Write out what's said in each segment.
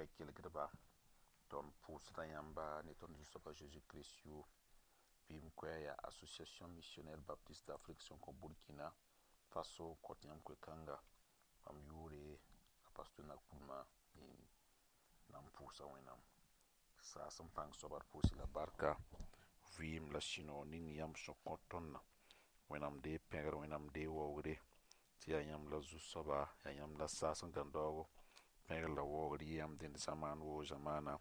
Koɛɛ-kelgdba, tõnd pʋʋsda yãmba ne tõnd Zu-soaba Zeezi Kirist yʋʋr. Vɩɩm koɛɛg yaa Association Missionnaire Baptiste d'Afrique sẽn kõ Burkina Faso n kõt yãmb koe-kãnga. Mam yʋʋre a Pastor Nakoulma na n pʋʋsa Wẽnnaam. Saas n pãng soaba d pʋʋs la barka, vɩɩm la sũ-noog ning yãmb sẽn kõt tõndã. Wẽnnaam dee pẽgr, Wẽnnaam dee waoogre tɩ yaa yãmb la Zu-soaba, yaa yãmb la saas n gãn daoogo. Pẽgr la waoogr yɩ yãmb dẽnd zamaan woo zamaana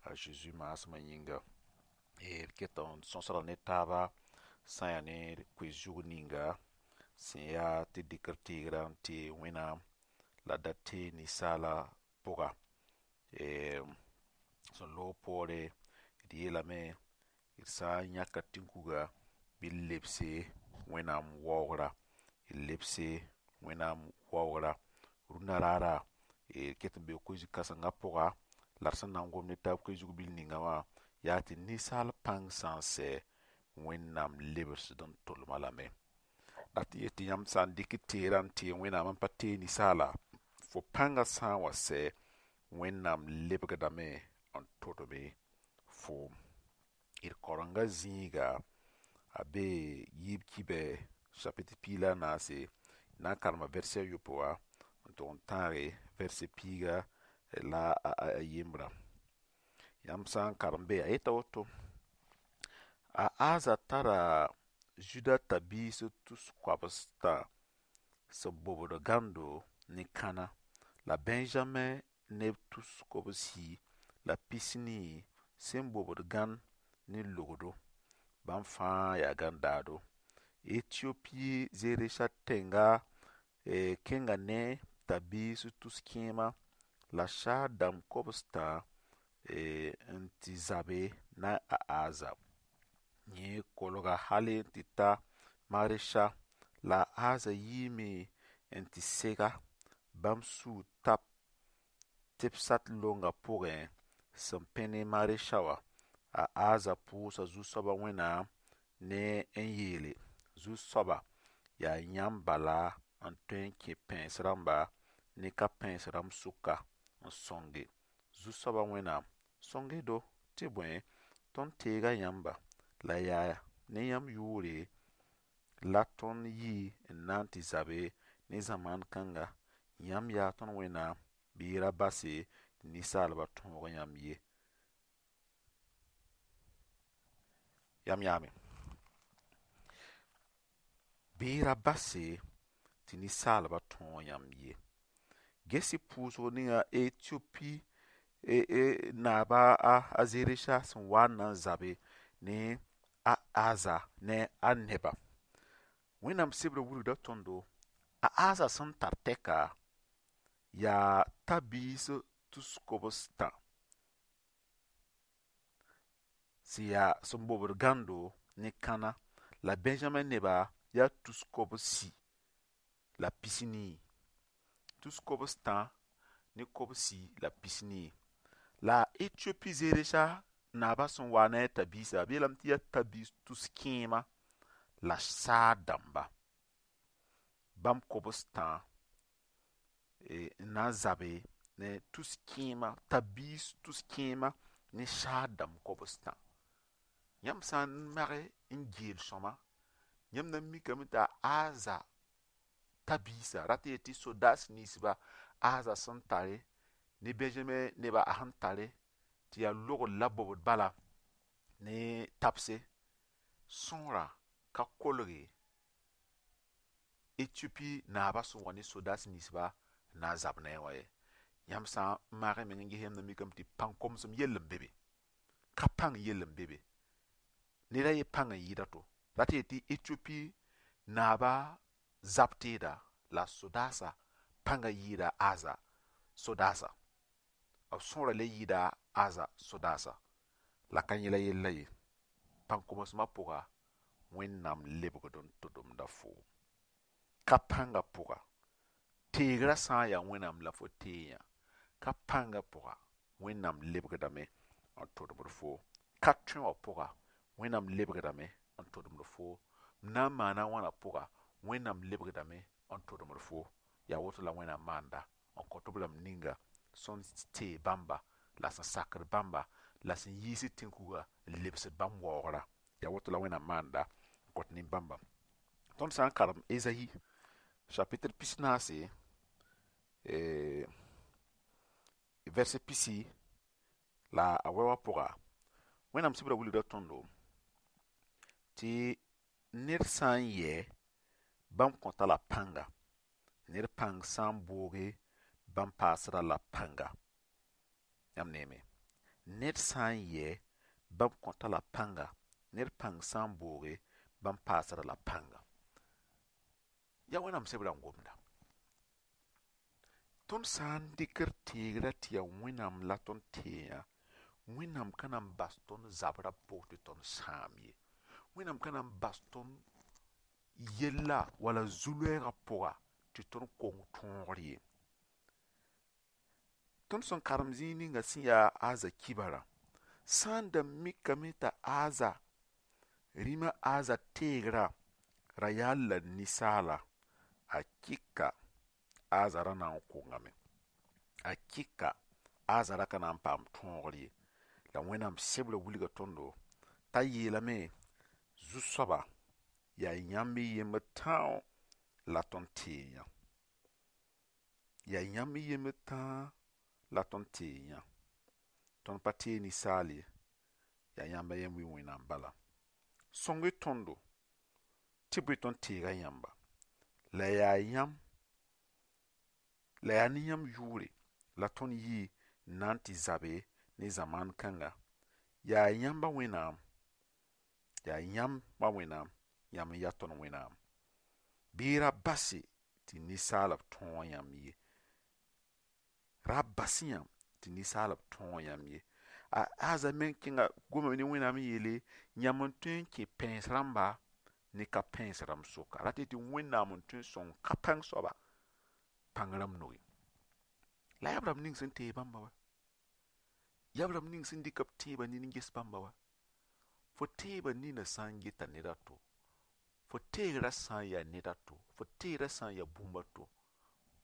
a Zeezi maasmã yĩnga. D keta n sõsda ne taaba sã n yaa ne koe-zug ninga sẽn yaa tɩ dɩk d teegrã n teeg Wẽnnaam la da teeg ninsaala pʋga. Sẽn loog poore d yeelame d sã n yãka tĩnkuga bɩ d lebse Wẽnnaam waoogra, d lebse Wẽnnaam waoogra. Rũndã raara d ket n bee koe-zug kãsengã pʋga la d sẽn na n gom ne taab koe-zug bil ninga wã yaa tɩ ninsaal pãng sã n sɛ, Wẽnnaam lebsd n tʋlma lame. La tɩ yet tɩ yãmb sã n dɩk teerã n teeg Wẽnnaam n pa teeg ninsaala, fo pãngã sã n wa sɛ, Wẽnnaam lebgdame n tʋdme foom. D karenga zĩiga a bee yiib kibɛ chapitre 14, d na n karema verset a yopoe wã n tʋg n tãage verset piiga la a yembrã. Yãmb sã n karem be a yeta woto: a Aza tara Zuda tabiis tus koabs-tã sẽn bobd gãndo ne kãna la Benjamin neb tus kobsi la pisnii sẽn bobd gãnd ne logdo. Bãmb fãa yaa gãn-daado. Etiopi Zeresã tẽnga kẽnga ne tabiis tus kẽema la saar dãmb kobs-tã n tɩ zabe ne a Aza. Yẽ kolga hali n tɩ ta Maresha la a Aza yiime n tɩ sega bãmb sũur tap Tɩbsat longa pʋgẽ sẽn pẽ ne Maresha wã. A Aza pʋʋsa Zu-soaba Wẽnnaam ne n yeele: Zu-soaba, yaa yãmb bala n tõe n kẽ pẽes rãmba ne ka-pẽes rãmb sʋka n sõnge. Zu-soaba Wẽnnaam, sõng-y-do tɩ bõe, tõnd teega yãmba la yaa ne yãmb yʋʋre la tõnd yi n na n tɩ zabe ne zamaan kãnga. Yãmb yaa tõnd Wẽnnaam, bɩ y ra base tɩ ninsaalba tõog yãmb ye. Yam yãame. Bɩ y ra base tɩ ninsaalba tõog yãmb ye. Ges-y pʋʋsg ninga Etiopi naaba a Zeresã sẽn wa n na n zabe ne a Aza ne a neba. Wẽnnaam sebrã wilgda tõndo a Aza sẽn tar tɛka yaa tabiis tus kobs-tã sẽn yaa sẽn bobd gãndo ne kãna la Benjamin neba yaa tus kobsi la pisnii. Tus kobs-tã ne kobsi la pisnii. La Etiopi Zeresã naabã sẽn wa ne a tabiisã, b yeelame tɩ yaa tabiis tus kẽema la saar dãmba. Bãmb kobs-tã n na n zabe ne tus kẽema, tabiis tus kẽema ne saar dãmb kobs-tã. Yãmb sã n mage n geel sõma, yãmb na n mikame t'a Aza tabiisã rat n yet tɩ sodaas ninsba Aza sẽn tare ne Benjamin neba a sẽn tare tɩ yaa logr la bobd bala ne tabse sõorã ka kolge Etiopi naabã sẽn wa ne sodaas ninsba n na n zab ne a wã ye. Yãmb sã n maag y meng n ges yãmb na mikame tɩ pãn-komsem yell n be be. Ka pãng yell n be be. Ned a ye pãng n yɩɩd a to. Rat n yet tɩ Etiopi naabã zab teeda la sodaasã pãngã yɩɩda Aza sodaasã. B sõora le yɩɩda Aza sodaasã. La ka yẽla yella ye. Pãn-komsmã pʋga, Wẽnnaam lebgd n tʋdemda foom. Ka pãngã pʋga, teegrã sã n yaa Wẽnnaam la fo teeyã, ka pãngã pʋga, Wẽnnaam lebgdame n tʋdemd foo. Ka tõe wã pʋga, Wẽnnaam lebgdame n tʋdemd foo. M na n maana wãna pʋga, Wẽnnaam lebgdame n tʋdemd foo. Yaa woto la Wẽnnaam maanda n kõt b rãmb ninga. Sẽn tee bãmba la sẽn sakd bãmba la sẽn yiisd tẽn-kuga n lebsd bãmb waoogra. Yaa woto la Wẽnnaam maanda n kõt nin-bãmba. Tõnd sã n karem Ezayi chapitre 44, verset 18 wã pʋga, Wẽnnaam sebra wilgda tõndo tɩ ned sã n yɛ, bãmb kõta la pãnga. Ned pãng sã n booge, bãmb paasda la pãnga. Yãmb neeme, ned sã n yɛ, bãmb kõta la pãnga. Ned pãng sã n booge, bãmb paasda la pãnga. Yaa Wẽnnaam sebra n gomda. Tõnd sã n dɩkd teegrã tɩ yaa Wẽnnaam la tõnd teeyã, Wẽnnaam ka na n bas tõnd zabrã pʋg tɩ tõnd sãam ye. Wẽnnaam ka na n bas tõnd yella wala zu-loɛɛgã pʋga tɩ tõnd kong tõogr ye. Tõnd sẽn karem zĩig ninga sẽn yaa Aza kibarã, sã n da mikame t'a Aza rĩmã Aza teegrã ra yaa la ninsaala, a kɩka Aza ra na n kongame. A kɩka Aza ra ka na n paam tõogr ye. La Wẽnnaam sebra wilga tõndo t'a yeelame zu-soaba yaa yãmb y yembr tão la tõnd teeyã. Yaa yãmb y yembr tãa la tõnd teeyã. Tõnd pa tee ninsaal ye, yaa yãmb a yem wi Wẽnnaam bala. Sõng-y tõndo tɩ bõe tõnd teega yãmba. La yaa yãmb la yaa ne yãmb yʋʋre la tõnd yi n na n tɩ zabe ne zamaan kãnga. Yaa yãmba Wẽnnaam, yaa yãmba Wẽnnaam, yãmb n yaa tõnd Wẽnnaam. Bɩ ra base tɩ ninsaalb tõog yãmb ye. Ra bas yãmb tɩ ninsaalb tõog yãmb ye. A Aza meng kẽnga gomame ne Wẽnnaam n yeele, yãmb n tõe n kẽ pẽes rãmba ne ka pẽes rãmb soka. Rat tɩ Wẽnnaam n tõe n sõng ka pãng soaba pãng rãmb noge. La yaa b rãmb ning sẽn tee bãmba wa. Yaa b rãmb ning sẽn dɩk b tẽebã nin n ges bãmba wa. Fo tẽebã nina sã n geta ned a to, fo teegrã sã n yaa ned a to, fo teegrã sã n yaa bũmb a to,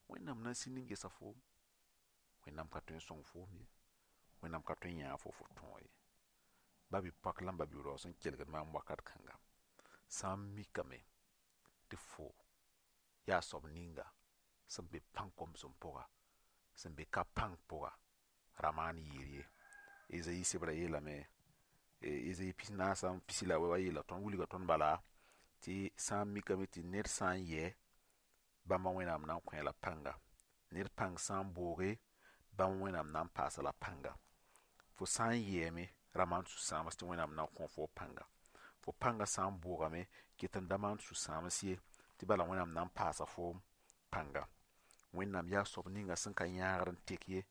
Wẽnnaam na n sĩnd n gesa foom. Wẽnnaam ka tõe n sõng foom ye. Wẽnnaam ka tõe n yãag fo fo tõog ye. Ba-bi-poak la ba-bi-rao sẽn kelgd maam wakat kãnga, sã n mikame tɩ fo yaa soab ninga sẽn be pãn-komsem pʋga, sẽn be ka pãng pʋga, ra maan yɩɩr ye. Ezayi sebra yeelame, Ezayi 44 wã yeela tõnd wilga tõnd bala tɩ sã n mikame tɩ ned sã n yɛ, bãmba Wẽnnaam na n kõ la pãnga. Ned pãng sã n booge, bãmb Wẽnnaam na n paasa la pãnga. Fo sã n yɛɛme, ra maan sũ-sãams tɩ Wẽnnaam na n kõ fo pãnga. Fo pãngã sã n boogame, ket n da maan sũ-sãams ye, tɩ bala Wẽnnaam na n paasa foom pãnga. Wẽnnaam yaa soab ninga sẽn ka yãagd n tek ye.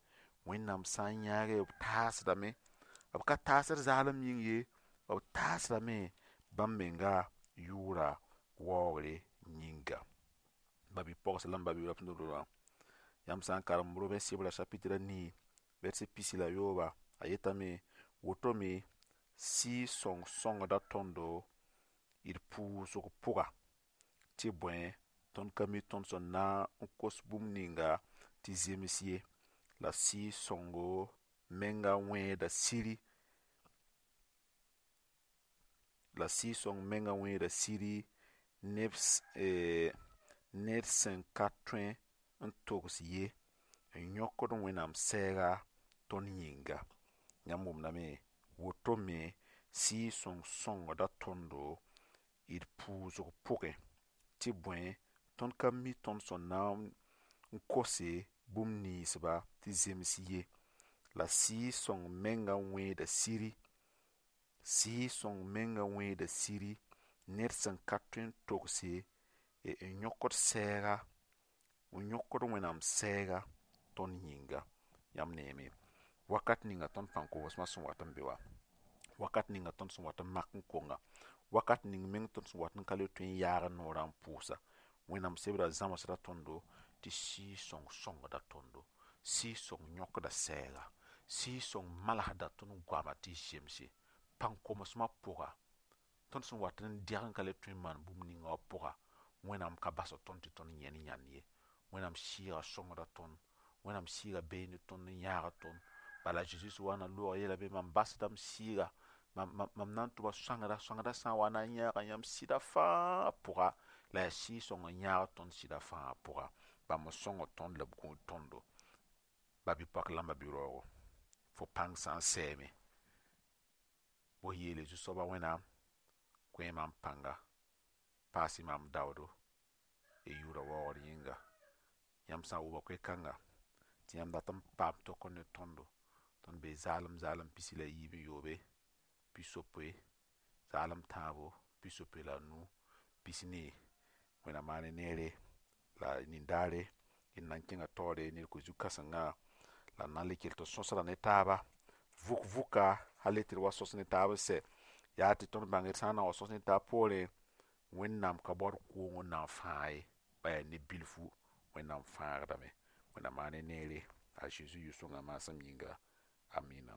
Wẽnnaam sã n yãage, b taasdame. B ka taasd zaalem yĩng ye, b taasdame bãmb menga yʋʋra waoogre yĩnga. Ba-bi-pogs la m ba-bi-rao sẽn yãmb sã n karem Robɛn sebra chapitre 4, verset 13, a yetame woto me Sɩɩg-sõng sõngda tõndo d pʋʋsg pʋga tɩ bõe tõnd ka mi tõnd sẽn na n kos bũmb ninga tɩ zems ye. La Sɩɩg-sõngo menga wẽeda siri, la Sɩɩg-sõng menga wẽeda siri ned sẽn ka tõe n togs ye n yõkd Wẽnnaam sɛɛga tõnd yĩnga. Yãmb wʋmdame woto me Sɩɩg-sõng sõngda tõndo d pʋʋsg pʋgẽ tɩ bõe tõnd ka mi tõnd sẽn na n kose bũmb ninsba tɩ zems ye. La Sɩɩg-sõng menga wẽeda siri, Sɩɩg-sõng menga wẽeda siri ned sẽn ka tõe n togse n yõkd sɛɛga, n yõkd Wẽnnaam sɛɛga tõnd yĩnga. Yãmb neeme wakat ninga tõnd pãn-komsmã sẽn wat n be wa, wakat ninga tõnd sẽn wat n mak n konga, wakat ning meng tõnd sẽn wat n ka le tõe n yaag n noorã n pʋʋsa, Wẽnnaam sebra zãmsda tõndo tɩ Sɩɩg-sõng sõngda tõndo, Sɩɩg-sõng yõkda sɛɛga, Sɩɩg-sõng malsda tõnd goama tɩ zemse. Pãn-komsmã pʋga, tõnd sẽn wat n dɛg n ka le tõe n maan bũmb ninga wã pʋga, Wẽnnaam ka basd tõnd tɩ tõnd yẽn yãnd ye. Wẽnnaam Sɩɩgã sõngda tõnd. Wẽnnaam sɩɩga bee ne tõnd n yãag tõnd. Bala Zeezi sẽn wa n na loog yeelame mam basda m sɩɩga, mam na n tʋma sõangda, sõangda sã n wa na n yãaga yãmb sɩda fãa pʋga, la yaa sɩɩg-sõng n yãag tõnd sɩda fãa pʋga. Bãmb n sõng tõnd la b gũud tõndo. Ba-bi-poak la m ba-bi-raoogo, fo pãng sã n sɛɛme, bõe yeele Zu-soaba Wẽnnaam, kõ mam pãnga, paas-y mam daoodo, y yʋʋra waoogr yĩnga. Yãmb sã n wʋma koe-kãnga, tɩ yãmb dat n paam tokr ne tõndo, tõnd bee zaalem zaalem 23, 60, zaalem tãabo, 65, 4. Wẽnnaam maan neere la nin-daare d na n kẽnga taoore ned koe-zu-kãsengã la d na n le kell tɩ sõsda ne taaba vʋk vʋka hal tɩ d wa sõs ne taab n sɛ yaa tɩ tõnd bãng d sã n na n wa sõs ne taab poorẽ Wẽnnaam ka baood koong n na n fãag ye ba yaa ne bilfu Wẽnnaam fãagdame. Wẽnnaam maan neere a Zeezi yʋ-sõngã maasem yĩnga. Amina.